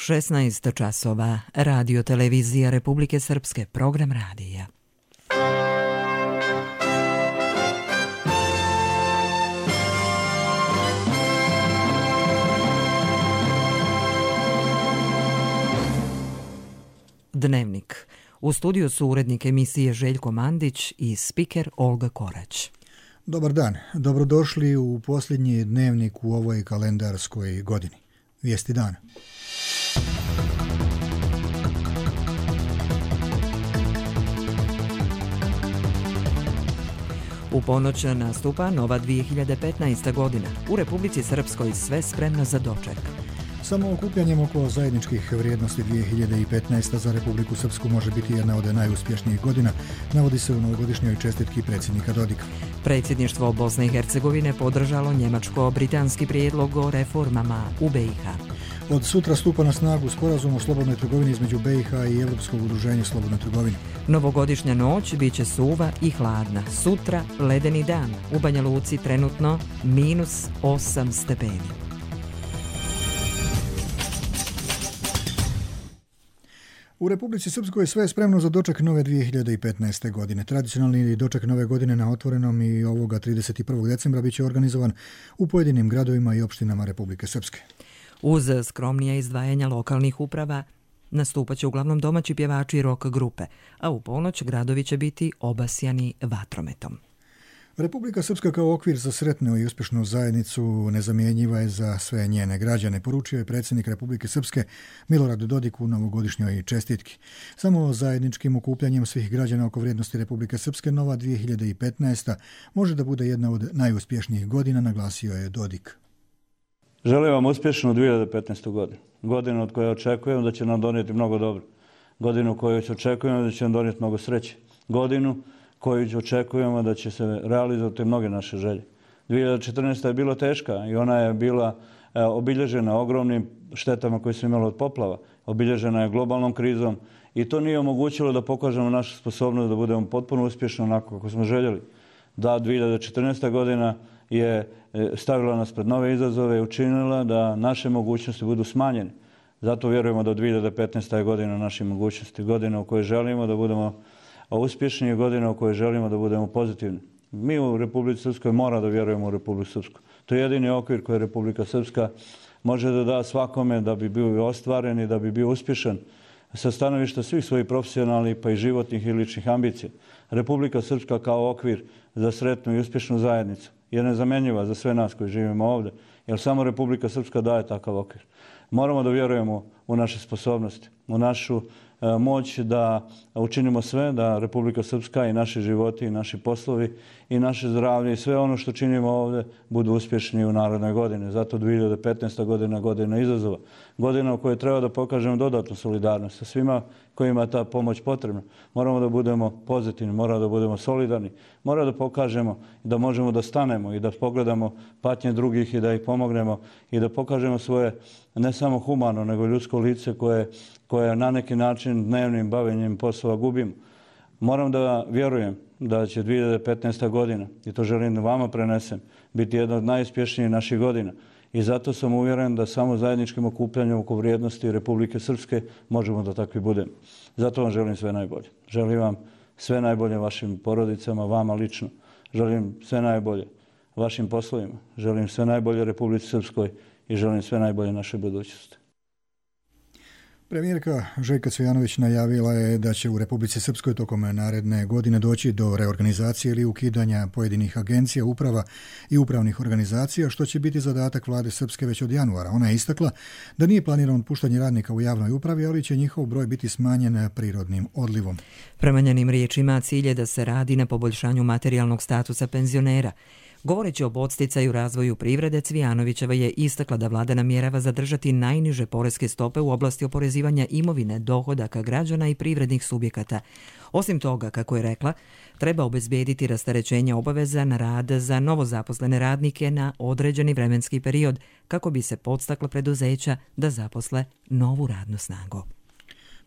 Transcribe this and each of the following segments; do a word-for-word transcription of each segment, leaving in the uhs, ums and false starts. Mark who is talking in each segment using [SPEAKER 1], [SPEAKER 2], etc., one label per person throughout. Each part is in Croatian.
[SPEAKER 1] šesnaest časova, Radio Televizija Republike Srpske, program radija. Dnevnik. U studiju su urednik emisije Željko Mandić i spiker Olga Korać.
[SPEAKER 2] Dobar dan, dobrodošli u posljednji dnevnik u ovoj kalendarskoj godini. Vijesti dana.
[SPEAKER 1] U ponoć nastupa nova dvije hiljade petnaesta. godina. U Republici Srpskoj sve spremno za doček.
[SPEAKER 2] Samo okupljanjem oko zajedničkih vrijednosti dvije hiljade petnaesta. za Republiku Srpsku može biti jedna od najuspješnijih godina, navodi se u novogodišnjoj čestitki predsjednika Dodika.
[SPEAKER 1] Predsjedništvo Bosne i Hercegovine podržalo njemačko-britanski prijedlog o reformama u B i H.
[SPEAKER 2] Od sutra stupa na snagu sporazum o slobodnoj trgovini između B i H i Europskog udruženja slobodnoj trgovini.
[SPEAKER 1] Novogodišnja noć bit će suva i hladna. Sutra ledeni dan. U Banja Luci trenutno minus osam stepeni.
[SPEAKER 2] U Republici Srpskoj sve je spremno za doček nove dvije hiljade petnaeste. godine. Tradicionalni doček nove godine na otvorenom i ovoga trideset prvog decembra bit će organizovan u pojedinim gradovima i opštinama Republike Srpske.
[SPEAKER 1] Uz skromnija izdvajanja lokalnih uprava nastupat će uglavnom domaći pjevači rock grupe, a u ponoć gradovi će biti obasjani vatrometom.
[SPEAKER 2] Republika Srpska kao okvir za sretnu i uspješnu zajednicu nezamjenjiva je za sve njene građane, poručio je predsjednik Republike Srpske Milorad Dodik u novogodišnjoj čestitki. Samo zajedničkim okupljanjem svih građana oko vrijednosti Republike Srpske nova dvije hiljade petnaesta. može da bude jedna od najuspješnijih godina, naglasio je Dodik.
[SPEAKER 3] Želim vam uspješnu dvije hiljade petnaestu. godinu. Godinu od koje očekujem da će nam donijeti mnogo dobro. Godinu koju očekujem da će nam donijeti mnogo sreće. Godinu koju očekujemo da će se realizovati mnoge naše želje. dvije hiljade četrnaesta. je bila teška i ona je bila e, obilježena ogromnim štetama koje su imali od poplava. Obilježena je globalnom krizom i to nije omogućilo da pokažemo našu sposobnost da budemo potpuno uspješni onako kako smo željeli. Da, dvije hiljade četrnaesta. godina je stavila nas pred nove izazove i učinila da naše mogućnosti budu smanjene. Zato vjerujemo da dvije hiljade petnaesta. je godina naših mogućnosti, godina u kojoj želimo da budemo uspješni i godina u kojoj želimo da budemo pozitivni. Mi u Republici Srpskoj mora da vjerujemo u Republiku Srpsku. To je jedini okvir koji Republika Srpska može da da svakome da bi bio ostvaren i da bi bio uspješan sa stanovišta svih svojih profesionalnih pa i životnih i ličnih ambicija. Republika Srpska kao okvir za sretnu i uspješnu zajednicu je nezamjenjiva za sve nas koji živimo ovdje, jer samo Republika Srpska daje takav okvir. Moramo da vjerujemo u naše sposobnosti, u našu e, moć da učinimo sve da Republika Srpska i naši životi i naši poslovi i naše zdravlje i sve ono što činimo ovdje budu uspješni u narednoj godini. Zato dvije hiljade petnaesta. godina godina izazova. Godina u kojoj treba da pokažemo dodatnu solidarnost sa svima kojima je ta pomoć potrebna. Moramo da budemo pozitivni, moramo da budemo solidarni, moramo da pokažemo da možemo da stanemo i da pogledamo patnje drugih i da ih pomognemo i da pokažemo svoje ne samo humano nego ljudsko lice koje, koje na neki način dnevnim bavljenjem poslova gubimo. Moram da vjerujem da će dvije hiljade petnaesta. godina, i to želim da vama prenesem, biti jedna od najuspješnijih naših godina. I zato sam uvjeren da samo zajedničkim okupljanjem oko vrijednosti Republike Srpske možemo da takvi budemo. Zato vam želim sve najbolje. Želim vam sve najbolje vašim porodicama, vama lično. Želim sve najbolje vašim poslovima. Želim sve najbolje Republici Srpskoj i želim sve najbolje našoj budućnosti.
[SPEAKER 2] Premijerka Željka Cvijanović najavila je da će u Republici Srpskoj tokom naredne godine doći do reorganizacije ili ukidanja pojedinih agencija, uprava i upravnih organizacija, što će biti zadatak vlade Srpske već od januara. Ona je istakla da nije planirano otpuštanje radnika u javnoj upravi, ali će njihov broj biti smanjen prirodnim odlivom.
[SPEAKER 1] Prema njenim riječima, cilj je da se radi na poboljšanju materijalnog statusa penzionera. Govoreći o podsticaju razvoju privrede, Cvijanovićeva je istakla da vlada namjerava zadržati najniže poreske stope u oblasti oporezivanja imovine, dohodaka građana i privrednih subjekata. Osim toga, kako je rekla, treba obezbediti rasterećenje obaveza na rad za novozaposlene radnike na određeni vremenski period kako bi se podstakla preduzeća da zaposle novu radnu snagu.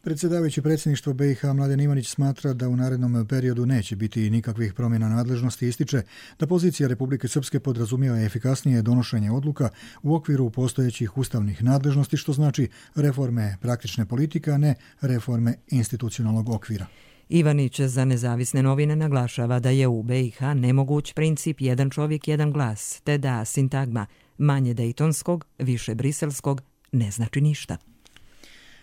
[SPEAKER 2] Predsjedavajući predsjedništvo B i H Mladen Ivanić smatra da u narednom periodu neće biti nikakvih promjena nadležnosti, ističe da pozicija Republike Srpske podrazumijeva efikasnije donošenje odluka u okviru postojećih ustavnih nadležnosti, što znači reforme praktične politike, a ne reforme institucionalnog okvira.
[SPEAKER 1] Ivanić za Nezavisne novine naglašava da je u B i H nemoguć princip jedan čovjek, jedan glas, te da sintagma manje dejtonskog, više briselskog ne znači ništa.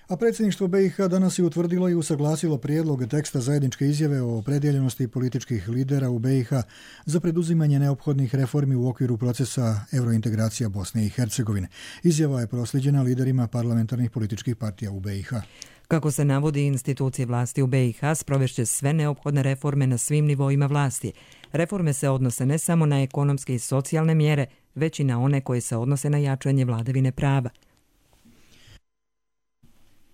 [SPEAKER 2] A predsjedništvo B i H danas je utvrdilo i usaglasilo prijedlog teksta zajedničke izjave o opredjeljenosti političkih lidera u B i H za preduzimanje neophodnih reformi u okviru procesa eurointegracija Bosne i Hercegovine. Izjava je prosljeđena liderima parlamentarnih političkih partija u B i H.
[SPEAKER 1] Kako se navodi, institucije vlasti u B i H sprovešće sve neophodne reforme na svim nivoima vlasti. Reforme se odnose ne samo na ekonomske i socijalne mjere, već i na one koje se odnose na jačanje vladavine prava.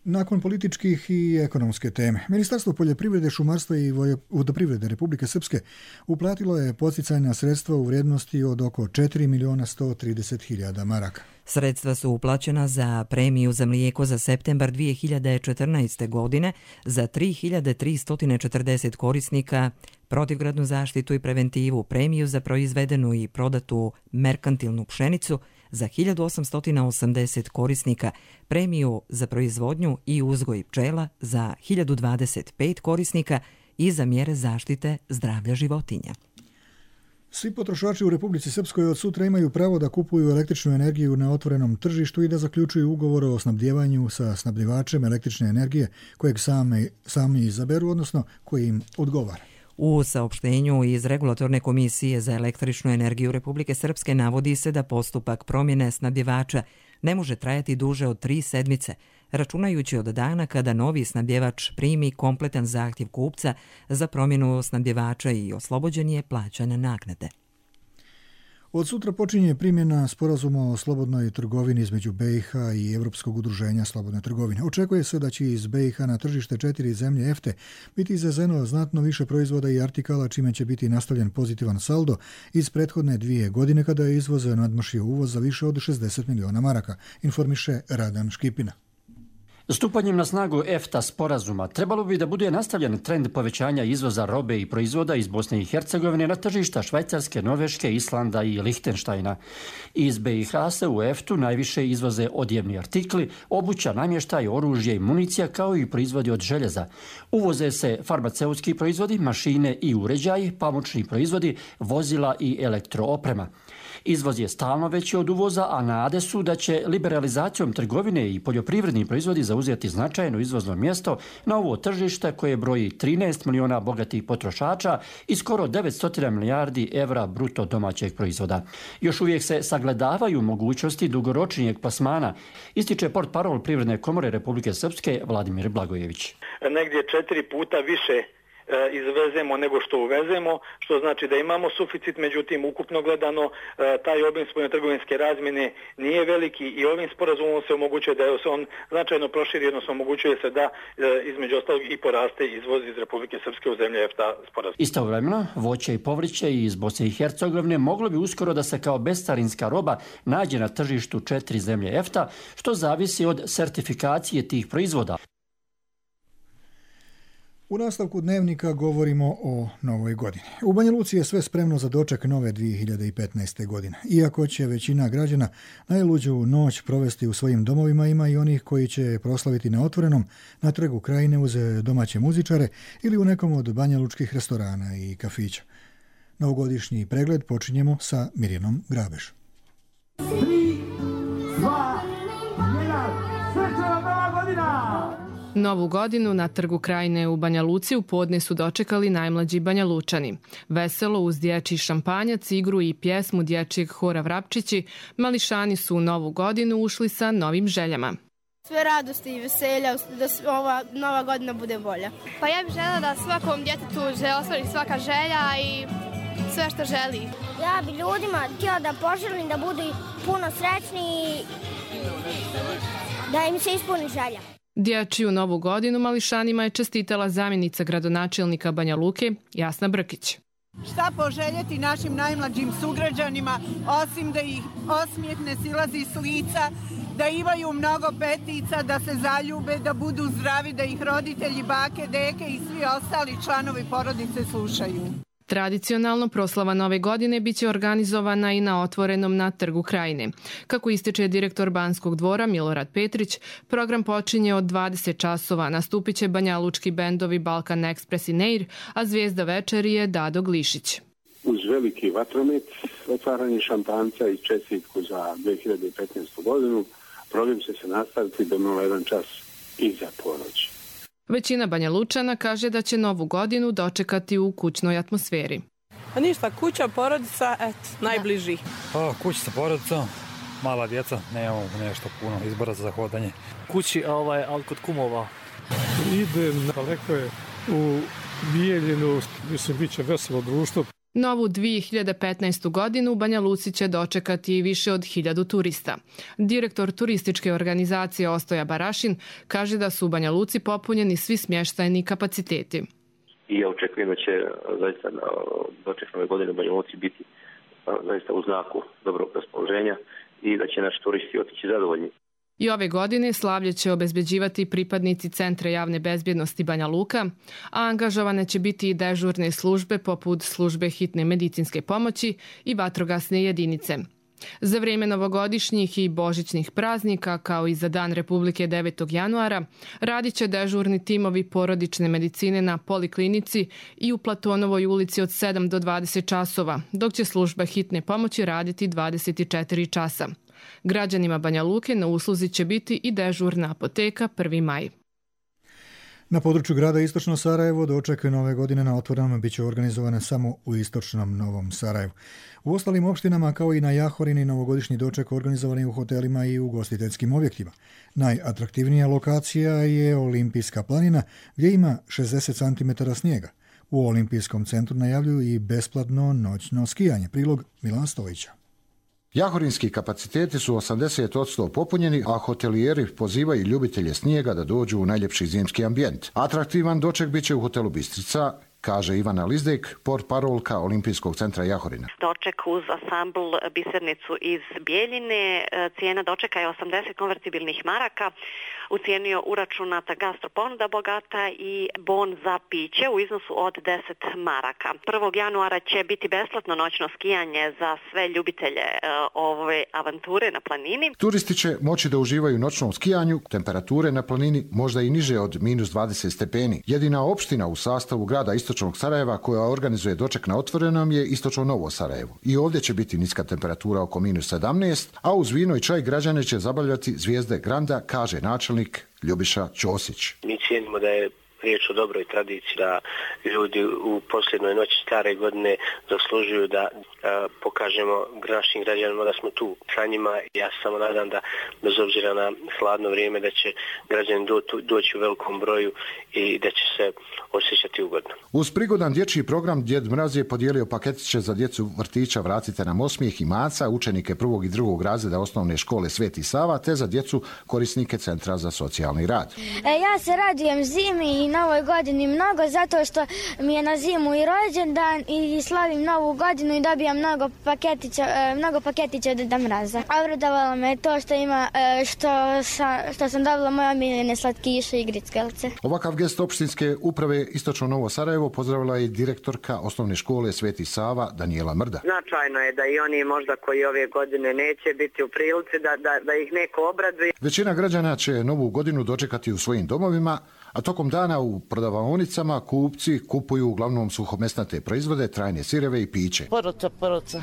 [SPEAKER 2] Nakon političkih i ekonomske teme, Ministarstvo poljoprivrede, šumarstva i vodoprivrede Republike Srpske uplatilo je podsticajna sredstva u vrijednosti od oko četiri milijuna sto trideset hiljada maraka.
[SPEAKER 1] Sredstva su uplaćena za premiju za mlijeko za septembar dvije hiljade četrnaeste. godine za tri hiljade tristo četrdeset korisnika, protivgradnu zaštitu i preventivu, premiju za proizvedenu i prodatu merkantilnu pšenicu za hiljadu osamsto osamdeset korisnika, premiju za proizvodnju i uzgoj pčela za hiljadu dvadeset pet korisnika i za mjere zaštite zdravlja životinja.
[SPEAKER 2] Svi potrošači u Republici Srpskoj od sutra imaju pravo da kupuju električnu energiju na otvorenom tržištu i da zaključuju ugovor o snabdjevanju sa snabdjevačem električne energije kojeg sami, sami izaberu, odnosno koji im odgovara.
[SPEAKER 1] U saopštenju iz Regulatorne komisije za električnu energiju Republike Srpske navodi se da postupak promjene snabdjevača ne može trajati duže od tri sedmice, računajući od dana kada novi snabdjevač primi kompletan zahtjev kupca za promjenu snabdjevača i oslobođen je plaćanja naknade.
[SPEAKER 2] Od sutra počinje primjena sporazuma o slobodnoj trgovini između B i H i Europskog udruženja slobodne trgovine. Očekuje se da će iz B i H na tržište četiri zemlje EFTE biti izvezeno znatno više proizvoda i artikala, čime će biti nastavljen pozitivan saldo iz prethodne dvije godine kada je izvoz nadmašio uvoz za više od šezdeset miliona maraka, informiše Radan Škipina.
[SPEAKER 4] Stupanjem na snagu EFTA sporazuma trebalo bi da bude nastavljen trend povećanja izvoza robe i proizvoda iz Bosne i Hercegovine na tržišta Švajcarske, Norveške, Islanda i Lihtenštajna. Iz B i H se u EFTU najviše izvoze odjevni artikli, obuća, namještaj, oružje i municija, kao i proizvodi od željeza. Uvoze se farmaceutski proizvodi, mašine i uređaji, pamučni proizvodi, vozila i elektrooprema. Izvoz je stalno veći od uvoza, a nade su da će liberalizacijom trgovine i poljoprivredni proizvodi zauzeti značajno izvozno mjesto na ovo tržište koje broji trinaest miliona bogatih potrošača i skoro devetsto milijardi evra bruto domaćeg proizvoda. Još uvijek se sagledavaju mogućnosti dugoročnijeg plasmana, ističe portparol Privredne komore Republike Srpske Vladimir Blagojević.
[SPEAKER 5] Negdje četiri puta više izvezemo nego što uvezemo, što znači da imamo suficit, međutim ukupno gledano taj obim spoljnotrgovinske razmjene nije veliki i ovim sporazumom se omogućuje da se on značajno proširi, odnosno omogućuje se da između ostalog i poraste izvoz iz Republike Srpske u zemlje EFTA sporazum.
[SPEAKER 4] Istovremeno, voće i povrće iz Bosne i Hercegovine moglo bi uskoro da se kao bescarinska roba nađe na tržištu četiri zemlje EFTA, što zavisi od sertifikacije tih proizvoda.
[SPEAKER 2] U nastavku dnevnika govorimo o novoj godini. U Banja Luci je sve spremno za doček nove dvije hiljade petnaeste. godine. Iako će većina građana najluđu noć provesti u svojim domovima, ima i onih koji će proslaviti na otvorenom, na trgu Krajine uz domaće muzičare ili u nekom od banjalučkih restorana i kafića. Novogodišnji pregled počinjemo sa Mirjanom Grabeš.
[SPEAKER 6] tri, dva, jedan, srećna nova godina!
[SPEAKER 7] Novu godinu na trgu Krajine u Banja Luci u podne su dočekali najmlađi Banjalučani. Veselo uz dječji šampanjac, igru i pjesmu dječjeg hora Vrapčići, mališani su u novu godinu ušli sa novim željama.
[SPEAKER 8] Sve radosti i veselja, da ova nova godina bude bolja.
[SPEAKER 9] Pa ja bih željela da svakom djetetu se ostvari svaka želja i sve što želi.
[SPEAKER 10] Ja bih ljudima htjela da poželim da budu puno srećni i da im se ispuni želja.
[SPEAKER 7] Dječju novu godinu mališanima je čestitala zamjenica gradonačelnika Banja Luke Jasna Brkić.
[SPEAKER 11] Šta poželjeti našim najmlađim sugrađanima, osim da ih osmijeh ne silazi s lica, da imaju mnogo petica, da se zaljube, da budu zdravi, da ih roditelji, bake, deke i svi ostali članovi porodice slušaju.
[SPEAKER 7] Tradicionalno proslava Nove godine biće organizovana i na otvorenom na Trgu Krajine. Kako ističe direktor Banskog dvora Milorad Petrić, program počinje od dvadeset časova, nastupit će banjalučki bendovi Balkan Express i Neir, a zvijezda večeri je Dado Glišić.
[SPEAKER 12] Uz veliki vatromet, otvaranje šampanjca i čestitku za dve hiljade petnaestu. godinu, program će se nastaviti do nula jedan čas iza ponoći.
[SPEAKER 7] Većina Banja Lučana kaže da će Novu godinu dočekati u kućnoj atmosferi.
[SPEAKER 13] A ništa, kuća, porodica, eto, najbliži.
[SPEAKER 14] Pa, kuća sa porodicom, mala djeca, nemamo nešto puno izbora za hodanje.
[SPEAKER 15] Kući, ovaj, ali kod kumova.
[SPEAKER 16] Idem daleko je u Bijeljinu, mislim, bit će veselo društvo.
[SPEAKER 7] Novu dve hiljade petnaestu. godinu u Banja Luci će dočekati više od hiljadu turista. Direktor turističke organizacije Ostoja Barašin kaže da su u Banja Luci popunjeni svi smještajni kapaciteti.
[SPEAKER 17] I ja očekujem da će zaista doček Nove godine u Banja Luci biti zaista u znaku dobrog raspoloženja i da će naši turisti otići zadovoljni.
[SPEAKER 7] I ove godine slavlje će obezbeđivati pripadnici Centra javne bezbjednosti Banja Luka, a angažovane će biti i dežurne službe poput službe hitne medicinske pomoći i vatrogasne jedinice. Za vrijeme novogodišnjih i božićnih praznika, kao i za Dan Republike devetog januara, radit će dežurni timovi porodične medicine na Poliklinici i u Platonovoj ulici od sedam do dvadeset časova, dok će služba hitne pomoći raditi dvadeset četiri časa. Građanima Banja Luke na usluzi će biti i dežurna apoteka prvi maj.
[SPEAKER 2] Na području grada Istočno Sarajevo doček Nove godine na otvorenom bit će organizovane samo u Istočnom Novom Sarajevu. U ostalim opštinama kao i na Jahorini novogodišnji doček organizovani u hotelima i ugostiteljskim objektima. Najatraktivnija lokacija je Olimpijska planina gdje ima šezdeset centimetara snijega. U Olimpijskom centru najavljuju i besplatno noćno skijanje. Prilog Milan Stojića.
[SPEAKER 18] Jahorinski kapaciteti su osamdeset posto popunjeni, a hotelijeri pozivaju ljubitelje snijega da dođu u najljepši zimski ambijent. Atraktivan doček bit će u hotelu Bistrica, kaže Ivana Lizdek, portparolka Olimpijskog centra Jahorina.
[SPEAKER 19] Doček uz ansambl Bisernicu iz Bijeljine. Cijena dočeka je osamdeset konvertibilnih maraka. U cijeni je uračunata gastroponuda bogata i bon za piće u iznosu od deset maraka. prvog januara će biti besplatno noćno skijanje za sve ljubitelje ove avanture na planini.
[SPEAKER 18] Turisti će moći da uživaju u noćnom skijanju, temperature na planini možda i niže od minus dvadeset stepeni. Jedina opština u sastavu grada Istočnog Sarajeva koja organizuje doček na otvorenom je Istočno Novo Sarajevo. I ovdje će biti niska temperatura oko minus sedamnaest, a uz vino i čaj građane će zabavljati zvijezde Granda, kaže načelnik Ljubiša Ćosić.
[SPEAKER 20] Mi cijenimo da je riječ o dobroj tradiciji, da ljudi u posljednoj noći stare godine zaslužuju da a, pokažemo našim građanima da smo tu sa njima. Ja se samo nadam da bez obzira na hladno vrijeme da će građani do, doći u velikom broju i da će se osjećati ugodno.
[SPEAKER 18] Uz prigodan dječji program Djed Mraz je podijelio paketiće za djecu vrtića Vratite nam osmijeh i Maca, učenike prvog i drugog razreda osnovne škole Sveti Sava, te za djecu korisnike Centra za socijalni rad.
[SPEAKER 10] E, ja se radujem zimi i Novoj godini mnogo zato što mi je na zimu i rođendan i slavim Novu godinu i dobijam mnogo paketića, mnogo paketića od Djeda Mraza. Obradovalo me to što ima što sam, što sam dobila moje omiljene slatkiše i grickelce.
[SPEAKER 18] Ovakav gest opštinske uprave Istočno Novo Sarajevo pozdravila je direktorka osnovne škole Sveti Sava Danijela Mrda.
[SPEAKER 21] Značajno je da i oni možda koji ove godine neće biti u prilici da, da, da ih neko obraduje.
[SPEAKER 18] Većina građana će Novu godinu dočekati u svojim domovima, a tokom dana u prodavaonicama kupci kupuju uglavnom suhomesnate proizvode, trajne sireve i piće.
[SPEAKER 22] Poroca, poroca.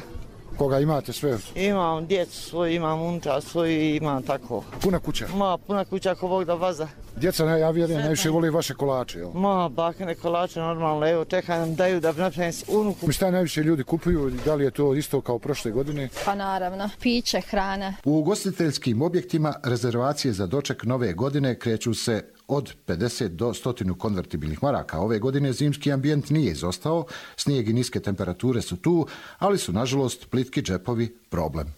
[SPEAKER 18] Koga imate sve?
[SPEAKER 22] Imam djecu svoju, imam unutra svoju i imam tako.
[SPEAKER 18] Puna kuća?
[SPEAKER 22] Ma, puna kuća ako Bog da vaza.
[SPEAKER 18] Djeca, ja vjerujem, najviše voli vaše kolače, jel?
[SPEAKER 22] Ma, bakane kolače, normalno, evo, čekaj nam daju da napravim unuku.
[SPEAKER 18] Šta najviše ljudi kupuju, da li je to isto kao prošle godine?
[SPEAKER 23] Pa naravno, piće, hrana.
[SPEAKER 18] U ugostiteljskim objektima rezervacije za doček Nove godine kreću se od pedeset do sto konvertibilnih maraka. Ove godine zimski ambijent nije izostao, snijeg i niske temperature su tu, ali su nažalost plitki džepovi problem.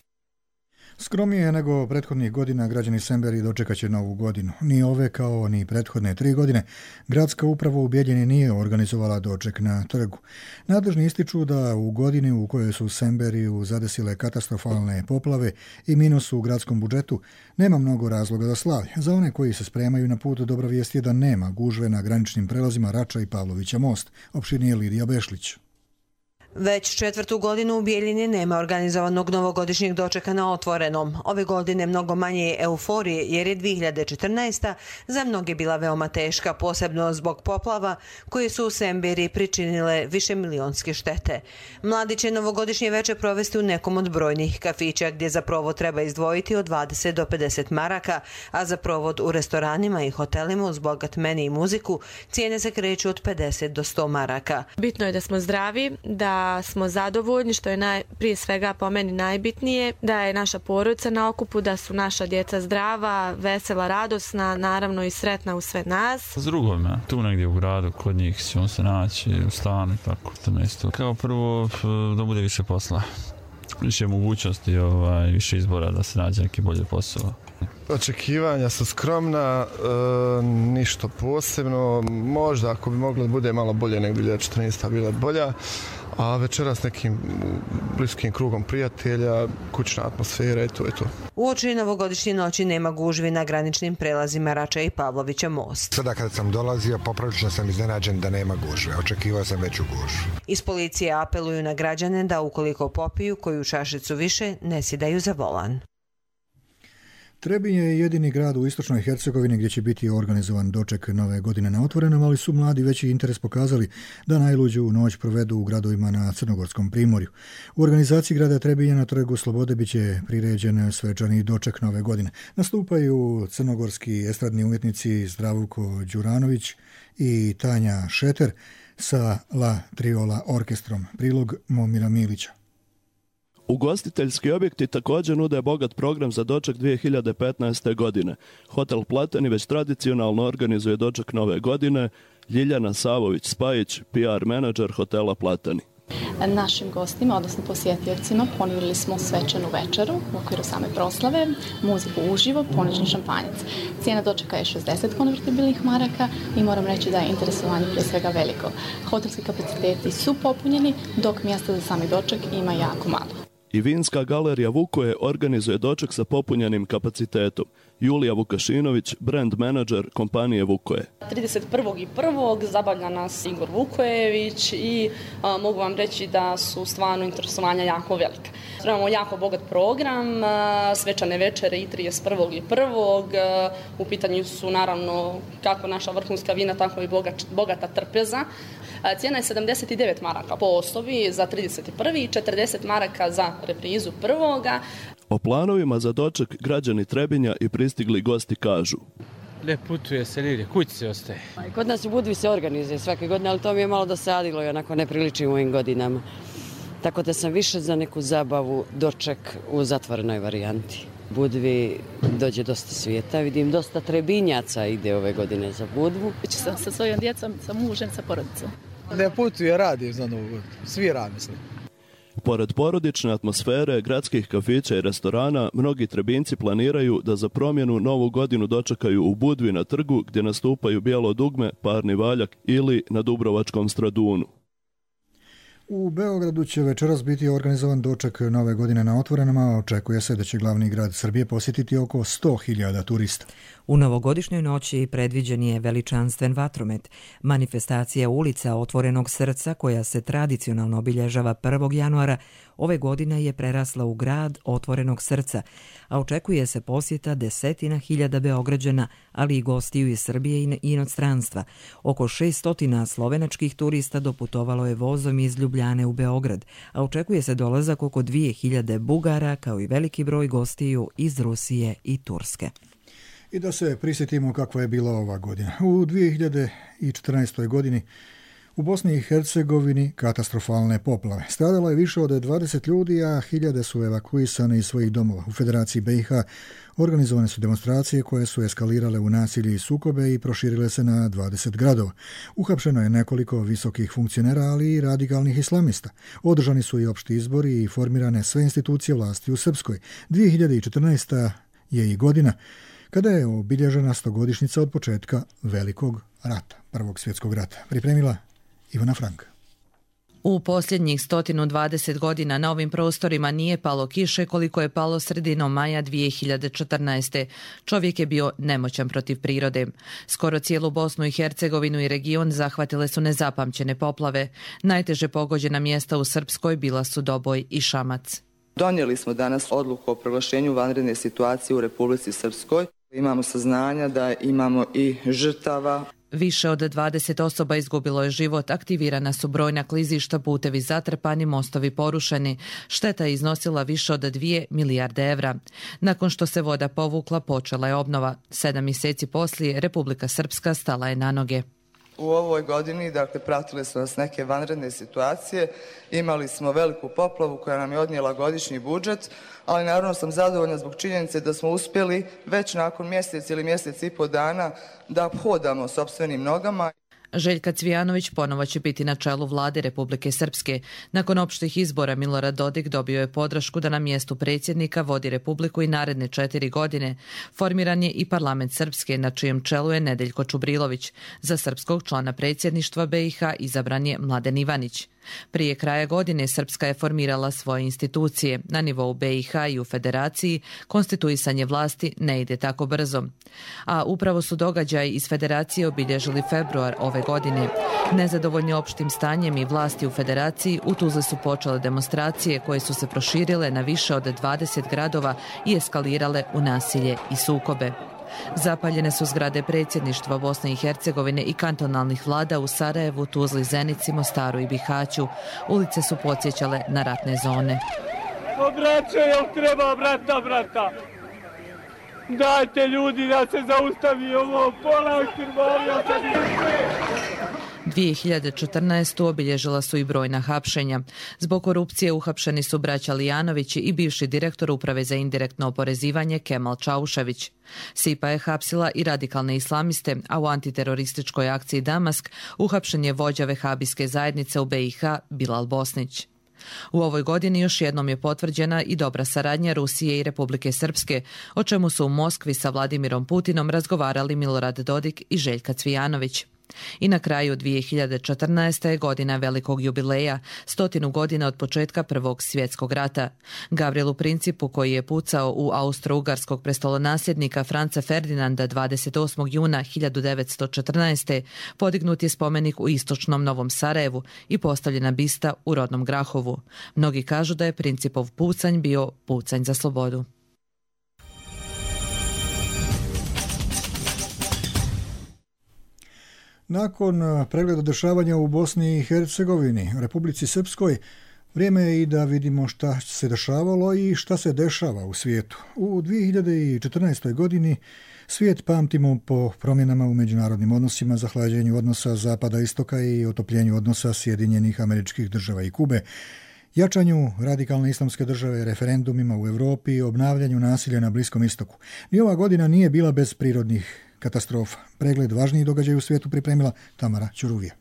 [SPEAKER 2] Skromnije nego prethodnih godina građani Semberije dočekat će novu godinu. Ni ove kao ni prethodne tri godine gradska uprava u Bijeljini nije organizovala doček na trgu. Nadležni ističu da u godini u kojoj su Semberiju zadesile katastrofalne poplave i minus u gradskom budžetu nema mnogo razloga za slavlje. Za one koji se spremaju na put, dobra vijest je da nema gužve na graničnim prelazima Rača i Pavlovića most, opširnije Lidija Bešlić.
[SPEAKER 1] Već četvrtu godinu u Bijeljini nema organizovanog novogodišnjeg dočeka na otvorenom. Ove godine mnogo manje euforije jer je dvije hiljade četrnaesta. za mnoge bila veoma teška, posebno zbog poplava koje su u Semberiji pričinile više milionske štete. Mladi će novogodišnje veče provesti u nekom od brojnih kafića gdje za provod treba izdvojiti od dvadeset do pedeset maraka, a za provod u restoranima i hotelima uz bogat meni i muziku cijene se kreću od pedeset do sto maraka.
[SPEAKER 3] Bitno je da smo zdravi, da smo zadovoljni, što je naj, prije svega po meni najbitnije, da je naša porodica na okupu, da su naša djeca zdrava, vesela, radosna, naravno i sretna u sve nas.
[SPEAKER 5] S drugome, tu negdje u gradu, kod njih ćemo se naći u stanu i tako to mjesto. Kao prvo da bude više posla, više mogućnosti, ovaj, više izbora da se nađe neki bolji posao.
[SPEAKER 24] Očekivanja su skromna, e, ništa posebno, možda ako bi moglo da bude malo bolje nego dvije hiljade četrnaesta bila bolja, a večeras nekim bliskim krugom prijatelja, kućna atmosfera i to je to.
[SPEAKER 1] Uoči novogodišnje noći nema gužvi na graničnim prelazima Rača i Pavlovića most.
[SPEAKER 25] Sada kada sam dolazio, poprilično sam iznenađen da nema gužve. Očekivao sam veću gužvu.
[SPEAKER 1] Iz policije apeluju na građane da ukoliko popiju koju čašicu više, ne sjedaju za volan.
[SPEAKER 2] Trebinje je jedini grad u istočnoj Hercegovini gdje će biti organizovan doček nove godine na otvorenom, ali su mladi veći interes pokazali da najluđu noć provedu u gradovima na Crnogorskom primorju. U organizaciji grada Trebinje na Trgu Slobode bit će priređen svečani doček nove godine. Nastupaju crnogorski estradni umjetnici Zdravko Đuranović i Tanja Šeter sa La Triola orkestrom. Prilog Momira Milića.
[SPEAKER 26] Ugostiteljski objekti također nude bogat program za doček dvije hiljade petnaeste. godine. Hotel Platani već tradicionalno organizuje doček nove godine. Ljiljana Savović-Spajić, P R menadžer hotela Platani.
[SPEAKER 27] Našim gostima, odnosno posjetiocima, ponudili smo svečanu večeru u okviru same proslave, muziku uživo, ponuđen šampanjac. Cijena dočeka je šezdeset konvertibilnih maraka i moram reći da je interesovanje prije svega veliko. Hotelski kapaciteti su popunjeni, dok mjesta za sami doček ima jako malo.
[SPEAKER 26] I vinska galerija Vukoje organizuje doček sa popunjenim kapacitetom. Julija Vukašinović, brand menadžer kompanije Vukoje.
[SPEAKER 28] trideset prvog i prvog zabavlja nas Igor Vukojević i a, mogu vam reći da su stvarno interesovanja jako velika. Imamo jako bogat program, a, svečane večere i trideset prvog i prvog A, u pitanju su naravno kako naša vrhunska vina, tako i bogat, bogata trpeza. A, cijena je sedamdeset devet maraka po osobi za trideset prvi i četrdeset maraka za reprizu prvoga.
[SPEAKER 26] O planovima za doček građani Trebinja i pristigli gosti kažu.
[SPEAKER 29] Ne putuje se nigdje, kući se ostaje.
[SPEAKER 30] Kod nas u Budvi se organizuje svake godine, ali to mi je malo dosadilo i onako ne priliči u ovim godinama. Tako da sam više za neku zabavu doček u zatvorenoj varijanti. Budvi dođe dosta svijeta, vidim dosta Trebinjaca ide ove godine za Budvu.
[SPEAKER 31] Sam sa svojom djecom, sa mužem, sa porodicom.
[SPEAKER 32] Ne putuje, radim za Novu godinu, svi radi mislim.
[SPEAKER 26] Pored porodične atmosfere, gradskih kafića i restorana, mnogi Trebinci planiraju da za promjenu novu godinu dočekaju u Budvi na trgu gdje nastupaju Bijelo dugme, Parni valjak ili na Dubrovačkom Stradunu.
[SPEAKER 2] U Beogradu će večeras biti organizovan doček nove godine na otvorenom, a očekuje se da će glavni grad Srbije posjetiti oko sto hiljada turista.
[SPEAKER 1] U novogodišnjoj noći predviđen je veličanstven vatromet. Manifestacija ulica Otvorenog srca, koja se tradicionalno obilježava prvog januara, ove godine je prerasla u grad Otvorenog srca, a očekuje se posjeta desetina hiljada Beograđana, ali i gostiju iz Srbije i inostranstva. Oko šesto slovenačkih turista doputovalo je vozom iz Ljubljane u Beograd, a očekuje se dolazak oko dvije hiljade Bugara, kao i veliki broj gostiju iz Rusije i Turske.
[SPEAKER 2] I da se prisjetimo kakva je bila ova godina. U dvije hiljade četrnaestoj. godini U Bosni i Hercegovini katastrofalne poplave. Stradalo je više od dvadeset ljudi, a hiljade su evakuisane iz svojih domova. U Federaciji B i H organizovane su demonstracije koje su eskalirale u nasilje i sukobe i proširile se na dvadeset gradova. Uhapšeno je nekoliko visokih funkcionera, ali i radikalnih islamista. Održani su i opšti izbori i formirane sve institucije vlasti u Srpskoj. dvije hiljade četrnaesta. je i godina kada je obilježena stogodišnjica od početka Velikog rata, Prvog svjetskog rata. Pripremila Ivana Franka.
[SPEAKER 4] U posljednjih sto dvadeset godina na ovim prostorima nije palo kiše koliko je palo sredinom maja dvije hiljade četrnaeste. Čovjek je bio nemoćan protiv prirode. Skoro cijelu Bosnu i Hercegovinu i region zahvatile su nezapamćene poplave. Najteže pogođena mjesta u Srpskoj bila su Doboj i Šamac.
[SPEAKER 6] Donijeli smo danas odluku o proglašenju vanredne situacije u Republici Srpskoj. Imamo saznanja da imamo i žrtava.
[SPEAKER 4] Više od dvadeset osoba izgubilo je život, aktivirana su brojna klizišta, putevi zatrpani, mostovi porušeni. Šteta je iznosila više od dvije milijarde evra. Nakon što se voda povukla, počela je obnova. Sedam mjeseci poslije Republika Srpska stala je na noge.
[SPEAKER 6] U ovoj godini, dakle, pratile su nas neke vanredne situacije. Imali smo veliku poplavu koja nam je odnijela godišnji budžet, ali naravno sam zadovoljna zbog činjenice da smo uspjeli već nakon mjesec ili mjesec i po dana da hodamo sopstvenim nogama.
[SPEAKER 4] Željka Cvijanović ponovo će biti na čelu vlade Republike Srpske. Nakon opštih izbora Milorad Dodik dobio je podršku da na mjestu predsjednika vodi Republiku i naredne četiri godine. Formiran je i parlament Srpske, na čijem čelu je Nedeljko Čubrilović. Za srpskog člana predsjedništva B i H izabran je Mladen Ivanić. Prije kraja godine Srpska je formirala svoje institucije. Na nivou B i H i u Federaciji konstituisanje vlasti ne ide tako brzo. A upravo su događaji iz Federacije obilježili februar ove godine. Nezadovoljni opštim stanjem i vlasti u Federaciji, u Tuzli su počele demonstracije koje su se proširile na više od dvadeset gradova i eskalirale u nasilje i sukobe. Zapaljene su zgrade predsjedništva Bosne i Hercegovine i kantonalnih vlada u Sarajevu, Tuzli, Zenici, Mostaru i Bihaću. Ulice su podsjećale na ratne zone.
[SPEAKER 7] Braćo, jel treba brata, brata? Dajte ljudi da se zaustavi ovo, pola krvarja se
[SPEAKER 4] dvije hiljade četrnaeste. obilježila su i brojna hapšenja. Zbog korupcije uhapšeni su braća Lijanovići i bivši direktor Uprave za indirektno oporezivanje Kemal Čaušević. Sipa je hapsila i radikalne islamiste, a u antiterorističkoj akciji Damask uhapšen je vođa vehabijske zajednice u B i H Bilal Bosnić. U ovoj godini još jednom je potvrđena i dobra saradnja Rusije i Republike Srpske, o čemu su u Moskvi sa Vladimirom Putinom razgovarali Milorad Dodik i Željka Cvijanović. I na kraju dvije hiljade četrnaeste. je godina velikog jubileja, stotinu godina od početka Prvog svjetskog rata. Gavrilu Principu, koji je pucao u austro-ugarskog prestolonasljednika Franca Ferdinanda dvadeset osmog juna hiljadu devetsto četrnaeste. podignut je spomenik u istočnom Novom Sarajevu i postavljena bista u rodnom Grahovu. Mnogi kažu da je Principov pucanj bio pucanj za slobodu.
[SPEAKER 2] Nakon pregleda dešavanja u Bosni i Hercegovini, Republici Srpskoj, vrijeme je i da vidimo šta se dešavalo i šta se dešava u svijetu. U dvije hiljade četrnaestoj. godini svijet pamtimo po promjenama u međunarodnim odnosima, zahlađenju odnosa Zapada-Istoka i otopljenju odnosa Sjedinjenih Američkih Država i Kube, jačanju radikalne islamske države, referendumima u Europi i obnavljanju nasilja na Bliskom istoku. Ni ova godina nije bila bez prirodnih katastrofa. Pregled važnijih događaja u svijetu pripremila Tamara Ćuruvija.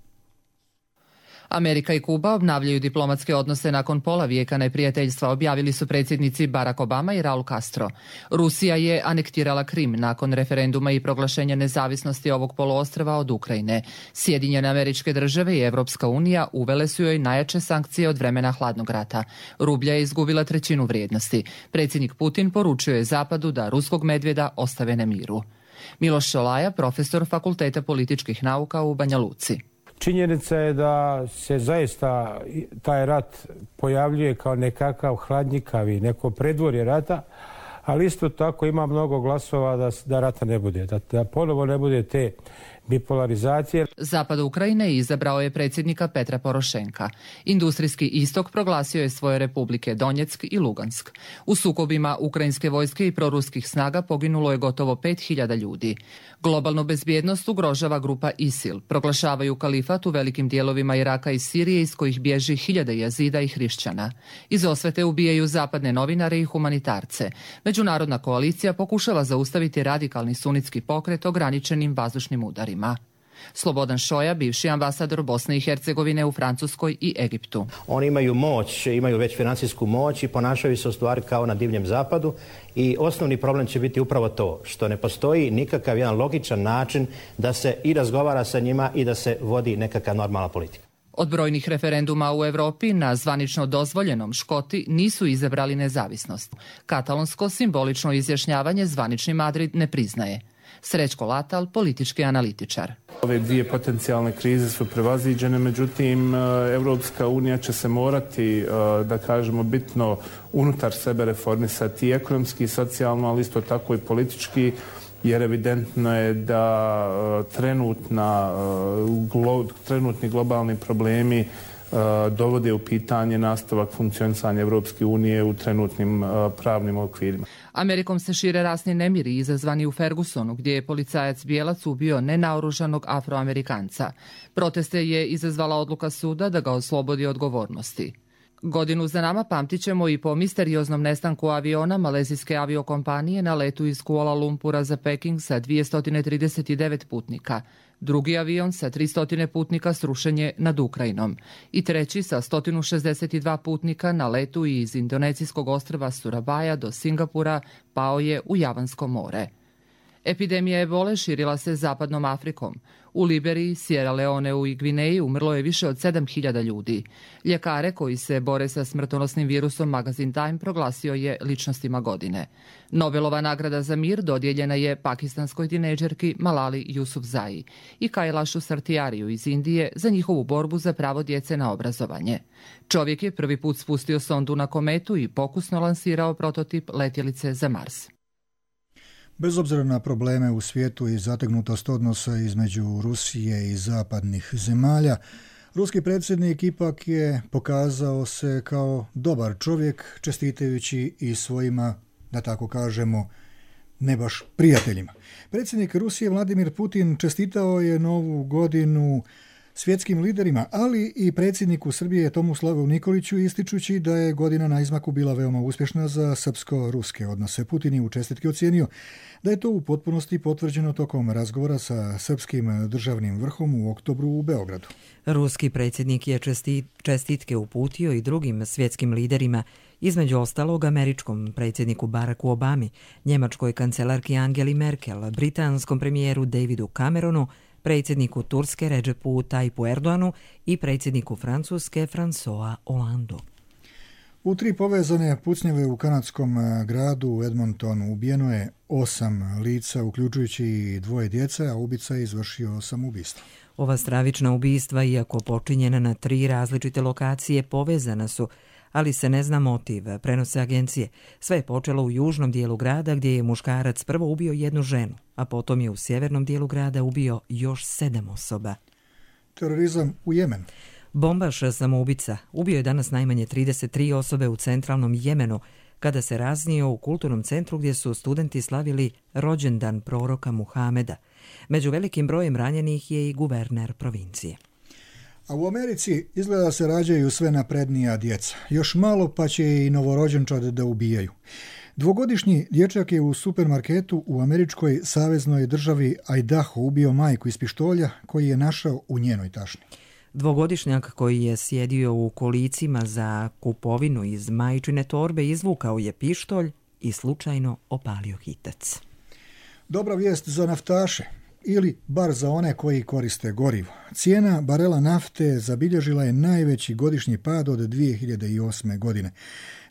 [SPEAKER 8] Amerika i Kuba obnavljaju diplomatske odnose nakon pola vijeka neprijateljstva, objavili su predsjednici Barack Obama i Raul Castro. Rusija je anektirala Krim nakon referenduma i proglašenja nezavisnosti ovog poluostrva od Ukrajine. Sjedinjene Američke Države i Evropska unija uvele su joj najjače sankcije od vremena hladnog rata. Rublja je izgubila trećinu vrijednosti. Predsjednik Putin poručio je Zapadu da ruskog medvjeda ostave na miru. Miloš Šolaja, profesor Fakulteta političkih nauka u Banja Luci.
[SPEAKER 9] Činjenica je da se zaista taj rat pojavljuje kao nekakav hladnjikavi, neko predvorje rata, ali isto tako ima mnogo glasova da, da rata ne bude, da, da ponovo ne bude te bipolarizacije.
[SPEAKER 8] Zapad Ukrajine izabrao je predsjednika Petra Porošenka. Industrijski istok proglasio je svoje republike Donjeck i Lugansk. U sukobima ukrajinske vojske i proruskih snaga poginulo je gotovo pet hiljada ljudi. Globalnu bezbjednost ugrožava grupa ISIL. Proglašavaju kalifat u velikim dijelovima Iraka i Sirije iz kojih bježi hiljade jazida i hrišćana. Iz osvete ubijaju zapadne novinare i humanitarce. Međunarodna koalicija pokušava zaustaviti radikalni sunitski pokret ograničenim vazdušnim udarima. Slobodan Šoja, bivši ambasador Bosne i Hercegovine u Francuskoj i Egiptu.
[SPEAKER 10] Oni imaju moć, imaju već financijsku moć i ponašaju se u stvari kao na divljem zapadu i osnovni problem će biti upravo to što ne postoji nikakav jedan logičan način da se i razgovara sa njima i da se vodi nekakva normalna politika.
[SPEAKER 8] Od brojnih referenduma u Europi na zvanično dozvoljenom Škoti nisu izabrali nezavisnost. Katalonsko simbolično izjašnjavanje zvanični Madrid ne priznaje. Srećko Latal, politički analitičar.
[SPEAKER 11] Ove dvije potencijalne krize su prevaziđene, međutim Europska unija će se morati, da kažemo, bitno unutar sebe reformisati ekonomski i socijalno, ali isto tako i politički, jer evidentno je da trenutna, glo, trenutni globalni problemi dovode u pitanje nastavak funkcionisanja Europske unije u trenutnim pravnim okvirima.
[SPEAKER 8] Amerikom se šire rasni nemiri izazvani u Fergusonu, gdje je policajac bijelac ubio nenaoružanog Afroamerikanca. Proteste je izazvala odluka suda da ga oslobodi odgovornosti. Godinu za nama pamtit ćemo i po misterioznom nestanku aviona malezijske aviokompanije na letu iz Kuala Lumpura za Peking sa dvjesto trideset devet putnika. Drugi avion sa tristo putnika srušen je nad Ukrajinom i treći sa sto šezdeset dva putnika na letu iz indonecijskog ostrva Surabaja do Singapura pao je u Javansko more. Epidemija ebole širila se zapadnom Afrikom. U Liberiji, Sierra Leoneu i Gvineji umrlo je više od sedam hiljada ljudi. Ljekare koji se bore sa smrtonosnim virusom magazin Time proglasio je ličnostima godine. Nobelova nagrada za mir dodijeljena je pakistanskoj tinejdžerki Malali Yousafzai i Kailashu Satyariju iz Indije za njihovu borbu za pravo djece na obrazovanje. Čovjek je prvi put spustio sondu na kometu i pokusno lansirao prototip letjelice za Mars.
[SPEAKER 2] Bez obzira na probleme u svijetu i zategnutost odnosa između Rusije i zapadnih zemalja, ruski predsjednik ipak je pokazao se kao dobar čovjek, čestitajući i svojima, da tako kažemo, ne baš prijateljima. Predsjednik Rusije Vladimir Putin čestitao je novu godinu svjetskim liderima, ali i predsjedniku Srbije Tomislavu Nikoliću, ističući da je godina na izmaku bila veoma uspješna za srpsko-ruske odnose. Putin je u čestitki ocijenio da je to u potpunosti potvrđeno tokom razgovora sa srpskim državnim vrhom u oktobru u Beogradu.
[SPEAKER 1] Ruski predsjednik je čestitke uputio i drugim svjetskim liderima, između ostalog američkom predsjedniku Baracku Obami, njemačkoj kancelarki Angeli Merkel, britanskom premijeru Davidu Cameronu, predsjedniku Turske Redžepu Tayyipu Erdoanu i predsjedniku Francuske François Hollandu.
[SPEAKER 2] U tri povezane pucnjave u kanadskom gradu Edmontonu ubijeno je osam lica, uključujući i dvoje djece, a ubica je izvršio samoubistvo.
[SPEAKER 1] Ova stravična ubistva, iako počinjena na tri različite lokacije, povezana su, ali se ne zna motiv, prenose agencije. Sve je počelo u južnom dijelu grada gdje je muškarac prvo ubio jednu ženu, a potom je u sjevernom dijelu grada ubio još sedam osoba.
[SPEAKER 2] Terorizam u Jemenu.
[SPEAKER 1] Bombaš samoubica ubio je danas najmanje trideset tri osobe u centralnom Jemenu kada se raznio u kulturnom centru gdje su studenti slavili rođendan proroka Muhameda. Među velikim brojem ranjenih je i guverner provincije.
[SPEAKER 2] A u Americi izgleda se rađaju sve naprednija djeca. Još malo pa će i novorođenčad da ubijaju. Dvogodišnji dječak je u supermarketu u američkoj saveznoj državi Idaho ubio majku iz pištolja koji je našao u njenoj tašni.
[SPEAKER 1] Dvogodišnjak koji je sjedio u kolicima za kupovinu iz majčine torbe izvukao je pištolj i slučajno opalio hitac.
[SPEAKER 2] Dobra vijest za naftaše, ili bar za one koji koriste gorivo. Cijena barela nafte zabilježila je najveći godišnji pad od dvije hiljade osme. godine.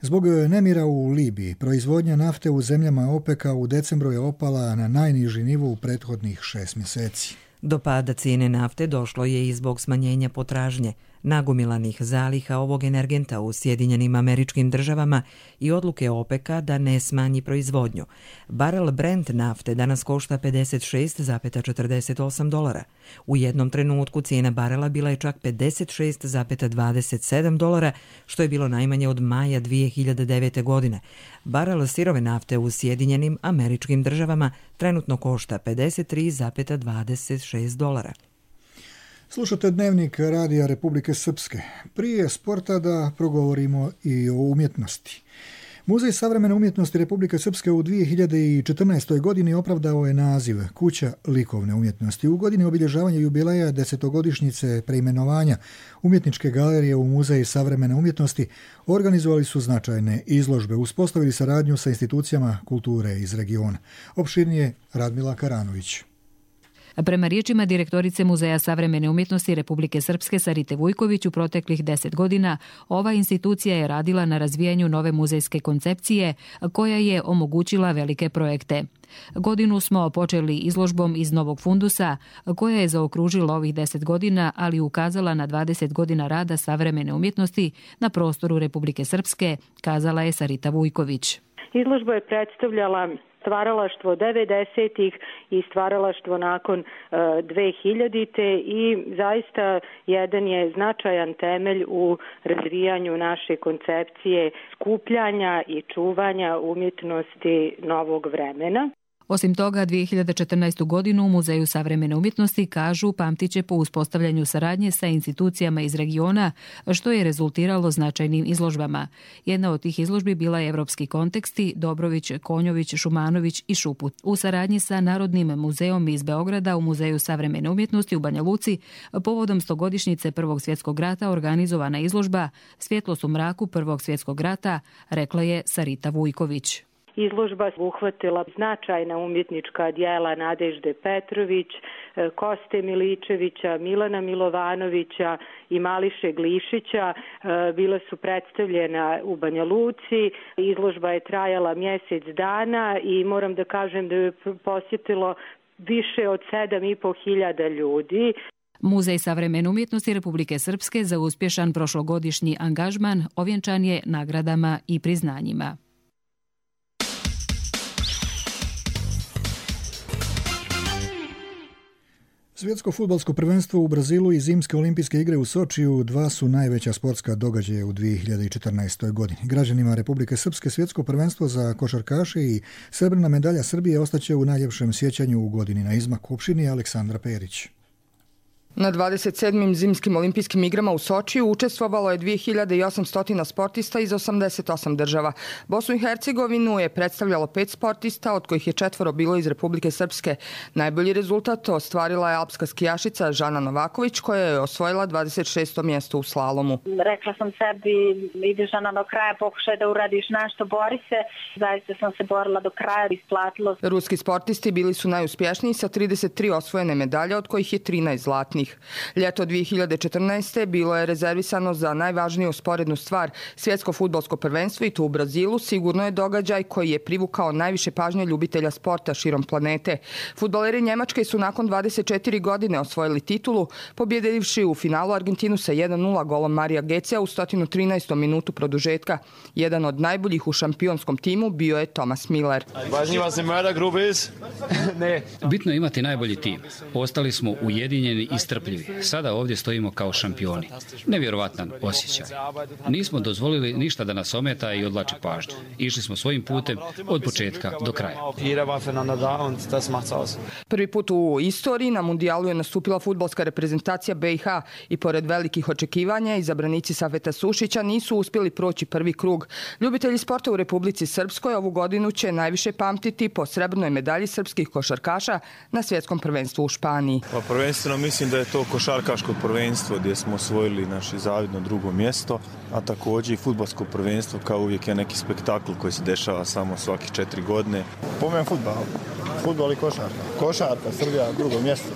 [SPEAKER 2] Zbog nemira u Libiji, proizvodnja nafte u zemljama OPEC-a u decembru je opala na najniži nivo u prethodnih šest mjeseci.
[SPEAKER 1] Do pada cijene nafte došlo je i zbog smanjenja potražnje. nagomilanih zaliha ovog energenta u Sjedinjenim Američkim Državama i odluke OPEC-a da ne smanji proizvodnju. Barel Brent nafte danas košta pedeset šest zarez četrdeset osam dolara. U jednom trenutku cijena barela bila je čak pedeset šest zarez dvadeset sedam dolara, što je bilo najmanje od maja dvije hiljade devete. godine. Barel sirove nafte u Sjedinjenim Američkim Državama trenutno košta pedeset tri zarez dvadeset šest dolara.
[SPEAKER 2] Slušate Dnevnik Radija Republike Srpske. Prije sporta da progovorimo i o umjetnosti. Muzej savremene umjetnosti Republike Srpske u dvije hiljade četrnaestoj. godini opravdao je naziv Kuća likovne umjetnosti. U godini obilježavanja jubileja desetogodišnjice preimenovanja Umjetničke galerije u Muzej savremene umjetnosti organizovali su značajne izložbe, uspostavili saradnju sa institucijama kulture iz regiona. Opširnije Radmila Karanović.
[SPEAKER 12] Prema riječima direktorice Muzeja savremene umjetnosti Republike Srpske Sarite Vujković, u proteklih deset godina ova institucija je radila na razvijanju nove muzejske koncepcije koja je omogućila velike projekte. Godinu smo počeli izložbom iz Novog fundusa koja je zaokružila ovih deset godina, ali ukazala na dvadeset godina rada savremene umjetnosti na prostoru Republike Srpske, kazala je Sarita Vujković.
[SPEAKER 13] Izložba je predstavljala stvaralaštvo devedesetih i stvaralaštvo nakon dve hiljadite. i zaista jedan je značajan temelj u razvijanju naše koncepcije skupljanja i čuvanja umjetnosti novog vremena.
[SPEAKER 12] Osim toga, dvije hiljade četrnaestu. godinu u Muzeju savremene umjetnosti, kažu, pamtiće po uspostavljanju saradnje sa institucijama iz regiona, što je rezultiralo značajnim izložbama. Jedna od tih izložbi bila je Evropski konteksti, Dobrović, Konjović, Šumanović i Šuput. U saradnji sa Narodnim muzejom iz Beograda u Muzeju savremene umjetnosti u Banja Luci, povodom stogodišnjice Prvog svjetskog rata organizovana izložba Svjetlost u mraku Prvog svjetskog rata, rekla je Sarita Vujković.
[SPEAKER 13] Izložba uhvatila značajna umjetnička djela Nadežde Petrović, Koste Miličevića, Milana Milovanovića i Mališe Glišića. Bila su predstavljena u Banja Luci. Izložba je trajala mjesec dana i moram da kažem da je posjetilo više od sedam i po hiljada ljudi.
[SPEAKER 12] Muzej savremene umjetnosti Republike Srpske za uspješan prošlogodišnji angažman ovjenčan je nagradama i priznanjima.
[SPEAKER 2] Svjetsko fudbalsko prvenstvo u Brazilu i zimske olimpijske igre u Sočiju dva su najveća sportska događaja u dvije hiljade četrnaestoj. godini. Građanima Republike Srpske svjetsko prvenstvo za košarkaše i srebrna medalja Srbije ostaće u najljepšem sjećanju u godini na izmaku. Opširnije Aleksandra Perić.
[SPEAKER 14] Na dvadeset sedmim zimskim olimpijskim igrama u Sočiju učestvovalo je dvije hiljade osamsto sportista iz osamdeset osam država. Bosnu i Hercegovinu je predstavljalo pet sportista, od kojih je četvoro bilo iz Republike Srpske. Najbolji rezultat ostvarila je alpska skijašica Žana Novaković, koja je osvojila dvadeset šesto mjesto u slalomu.
[SPEAKER 15] Rekla sam sebi, ideš Žana do kraja, pokušaj da uradiš nešto, bori se. Zaista sam se borila do kraja, isplatilo.
[SPEAKER 14] Ruski sportisti bili su najuspješniji sa trideset tri osvojene medalje, od kojih je trinaest zlatnih. Ljeto dvije hiljade četrnaeste. bilo je rezervisano za najvažniju sporednu stvar, svjetsko fudbalsko prvenstvo, i to u Brazilu. Sigurno je događaj koji je privukao najviše pažnje ljubitelja sporta širom planete. Fudbaleri Njemačke su nakon dvadeset četiri godine osvojili titulu, pobjedivši u finalu Argentinu sa jedan nula golom Marija Gecea u sto trinaestom minutu produžetka. Jedan od najboljih u šampionskom timu bio je Thomas Miller.
[SPEAKER 16] Bitno je imati najbolji tim. Ostali smo ujedinjeni i strpljivi. Sada ovdje stojimo kao šampioni. Nevjerovatan osjećaj. Nismo dozvolili ništa da nas ometa i odlači pažnju. Išli smo svojim putem od početka do kraja.
[SPEAKER 14] Prvi put u istoriji na mundijalu je nastupila fudbalska reprezentacija B i H i pored velikih očekivanja izabranici Safeta Sušića nisu uspjeli proći prvi krug. Ljubitelji sporta u Republici Srpskoj ovu godinu će najviše pamtiti po srebrnoj medalji srpskih košarkaša na svjetskom prvenstvu u Španiji.
[SPEAKER 17] Pa prvenstveno mislim da je to košarkaško prvenstvo gdje smo osvojili naše zavidno drugo mjesto, a također i fudbalsko prvenstvo kao uvijek je neki spektakl koji se dešava samo svaki četiri godine.
[SPEAKER 18] Pomen fudbal, fudbal i košarka. Košarka, Srbija, drugo mjesto.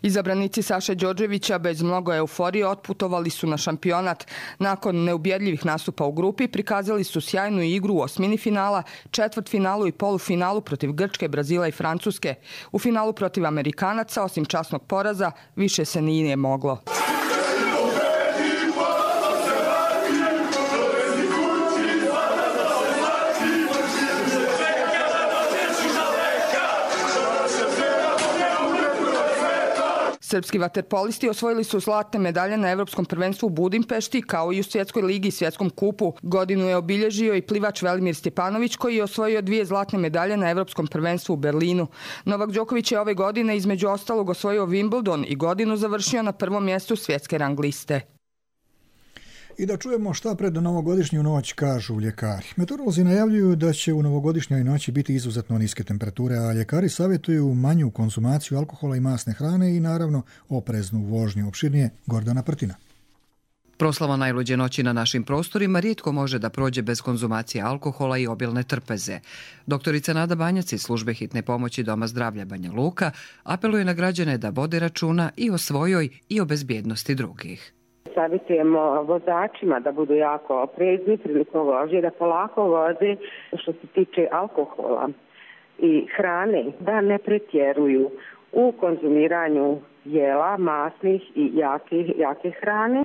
[SPEAKER 14] Izabranici Saše Đorđevića bez mnogo euforije otputovali su na šampionat. Nakon neubjedljivih nastupa u grupi prikazali su sjajnu igru u osmini finala, četvrtfinalu i polufinalu protiv Grčke, Brazila i Francuske. U finalu protiv Amerikanaca, osim časnog poraza, više se nije moglo. Srpski vaterpolisti osvojili su zlatne medalje na Evropskom prvenstvu u Budimpešti, kao i u Svjetskoj ligi i Svjetskom kupu. Godinu je obilježio i plivač Velimir Stjepanović, koji je osvojio dvije zlatne medalje na Evropskom prvenstvu u Berlinu. Novak Đoković je ove godine između ostalog osvojio Wimbledon i godinu završio na prvom mjestu svjetske rang liste.
[SPEAKER 2] I da čujemo šta pred novogodišnju noć kažu ljekari. Meteorolozi najavljuju da će u novogodišnjoj noći biti izuzetno niske temperature, a ljekari savjetuju manju konzumaciju alkohola i masne hrane i naravno opreznu vožnju. Opširnije Gordana Prtina.
[SPEAKER 3] Proslava najluđe noći na našim prostorima rijetko može da prođe bez konzumacije alkohola i obilne trpeze. Doktorica Nada Banjac iz službe hitne pomoći Doma zdravlja Banja Luka apeluje na građane da vode računa i o svojoj i o bezbjednosti drugih.
[SPEAKER 5] Savjetujemo vozačima da budu jako oprezni prilikom vožnje, da polako voze što se tiče alkohola i hrane, da ne pretjeruju u konzumiranju jela, masnih i jake, jake hrane.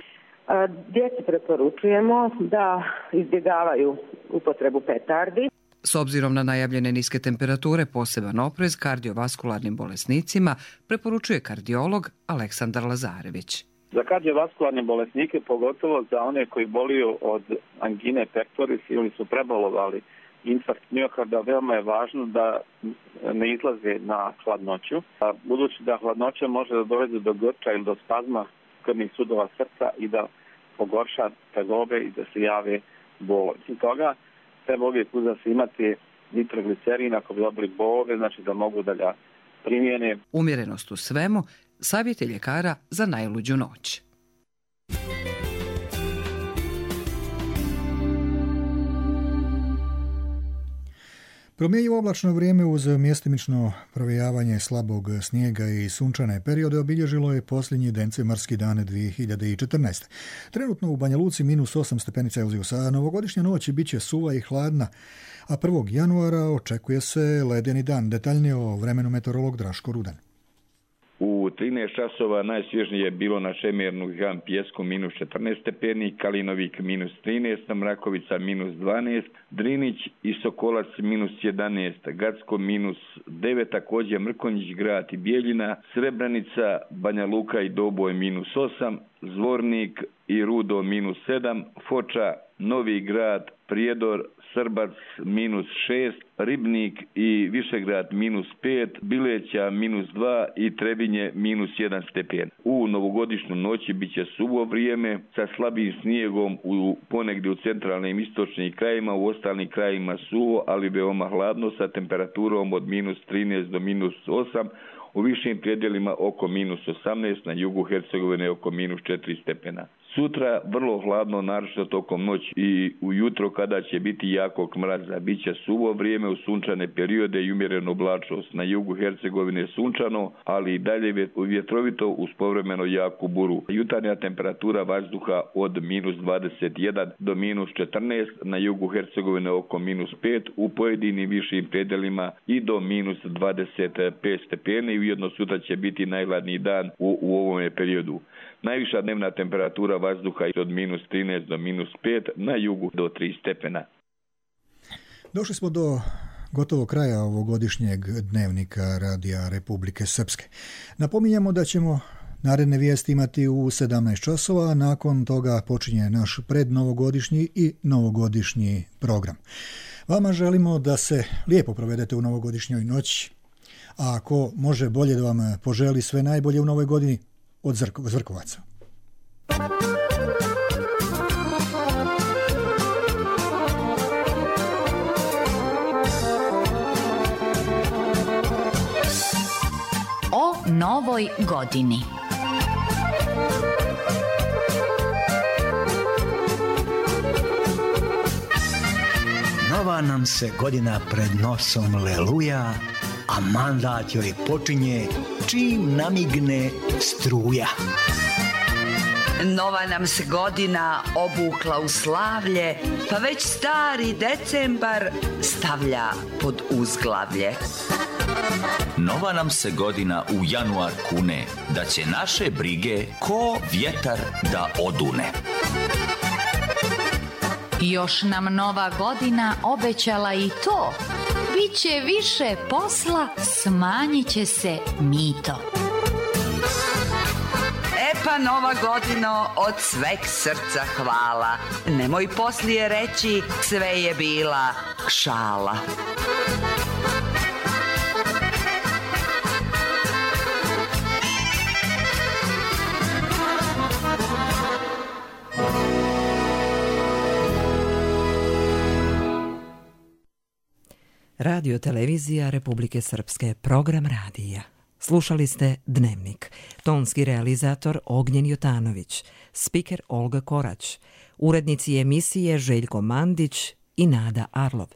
[SPEAKER 5] Djeci preporučujemo da izbjegavaju upotrebu petardi.
[SPEAKER 3] S obzirom na najavljene niske temperature, poseban oprez kardiovaskularnim bolesnicima preporučuje kardiolog Aleksandar Lazarević.
[SPEAKER 19] Za kardiovaskularne bolesnike, pogotovo za one koji boluju od angine pectoris ili su prebolovali infarkt miokarda, veoma je važno da ne izlaze na hladnoću. Budući da hladnoća može da dovede do grča ili do spazma krvnih sudova srca i da pogorša tegobe i da se jave bolovi. Osim toga, treba uvijek uzas imati nitroglicerin ako bi dobili bolove, znači da mogu da ga primjene.
[SPEAKER 3] Umjerenost u svemu, savjet je ljekara za najluđu noć.
[SPEAKER 2] Promjenjivo oblačno vrijeme uz mjestimično provejavanje slabog snijega i sunčane periode obilježilo je posljednji decembarski dan dvije hiljade četrnaeste. Trenutno u Banja Luci minus osam stepeni Celzijusa, a novogodišnja noć bit će suva i hladna, a prvog januara očekuje se ledeni dan. Detaljnije o vremenu meteorolog Draško Rudan.
[SPEAKER 20] U trinaest časova najsvježnije je bilo na Šemernu i Han Pjesku minus četrnaest stepeni, Kalinovik minus trinaest, Mrakovica minus dvanaest, Drinić i Sokolac minus jedanaest, Gacko minus devet, također Mrkonjić grad i Bijeljina, Srebrenica, Banja Luka i Doboj minus osam, Zvornik i Rudo minus sedam, Foča, Novi grad, Prijedor, Srbac minus šest, Ribnik i Višegrad minus pet, Bileća minus dva i Trebinje minus jedan stepen. U novogodišnju noći bit će suvo vrijeme sa slabim snijegom u ponegdje u centralnim istočnim krajima, u ostalim krajima suvo, ali veoma hladno sa temperaturom od minus trinaest do minus osam, u višim predjelima oko minus osamnaest, na jugu Hercegovine oko minus četiri stepena. Sutra vrlo hladno, naročito tokom noći i ujutro kada će biti jakog mraza. Biće suvo vrijeme u sunčane periode i umjerenu oblačnost. Na jugu Hercegovine sunčano, ali i dalje vjetrovito uz povremeno jaku buru. Jutarnja temperatura vazduha od minus dvadeset jedan do minus četrnaest, na jugu Hercegovine oko minus pet, u pojedinim višim predjelima i do minus dvadeset pet stepeni i ujedno sutra će biti najhladniji dan u, u ovome periodu. Najviša dnevna temperatura vazduha je od minus trinaest do minus pet, na jugu do tri stepena.
[SPEAKER 2] Došli smo do gotovo kraja ovogodišnjeg dnevnika Radija Republike Srpske. Napominjamo da ćemo naredne vijesti imati u sedamnaest časova, a nakon toga počinje naš prednovogodišnji i novogodišnji program. Vama želimo da se lijepo provedete u novogodišnjoj noći, a ako može bolje da vam poželi sve najbolje u novoj godini, od Zrkovaca.
[SPEAKER 21] O novoj godini.
[SPEAKER 22] Nova nam se godina pred nosom leluja, a mandat joj počinje čim namigne struja.
[SPEAKER 23] Nova nam se godina obukla u slavlje, pa već stari decembar stavlja pod uzglavlje.
[SPEAKER 24] Nova nam se godina u januar kune, da će naše brige ko vjetar da odune.
[SPEAKER 21] Još nam nova godina obećala i to. Biće više posla, smanjit će se mito.
[SPEAKER 23] Pa Nova godino od sveg srca hvala. Nemoj poslije reći sve je bila šala.
[SPEAKER 1] Radio televizija Republike Srpske, program radija. Slušali ste Dnevnik. Tonski realizator Ognjen Jotanović, spiker Olga Korać, urednici emisije Željko Mandić i Nada Arlov.